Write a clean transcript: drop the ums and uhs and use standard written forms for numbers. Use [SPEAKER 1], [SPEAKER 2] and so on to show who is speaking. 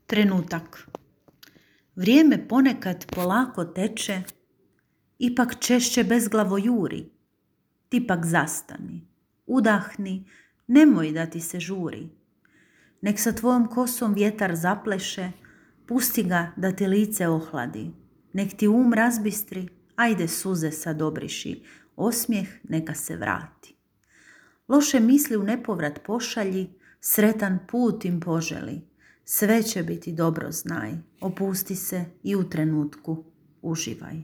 [SPEAKER 1] Trenutak. Vrijeme ponekad polako teče, ipak češće bezglavo juri. Ti pak zastani, udahni, nemoj da ti se žuri. Nek sa tvojom kosom vjetar zapleše, pusti ga da ti lice ohladi. Nek ti razbistri, ajde suze sad obriši, osmijeh neka se vrati. Loše misli u nepovrat pošalji, sretan put im poželi. Sve će biti dobro, znaj, opusti se i u trenutku uživaj.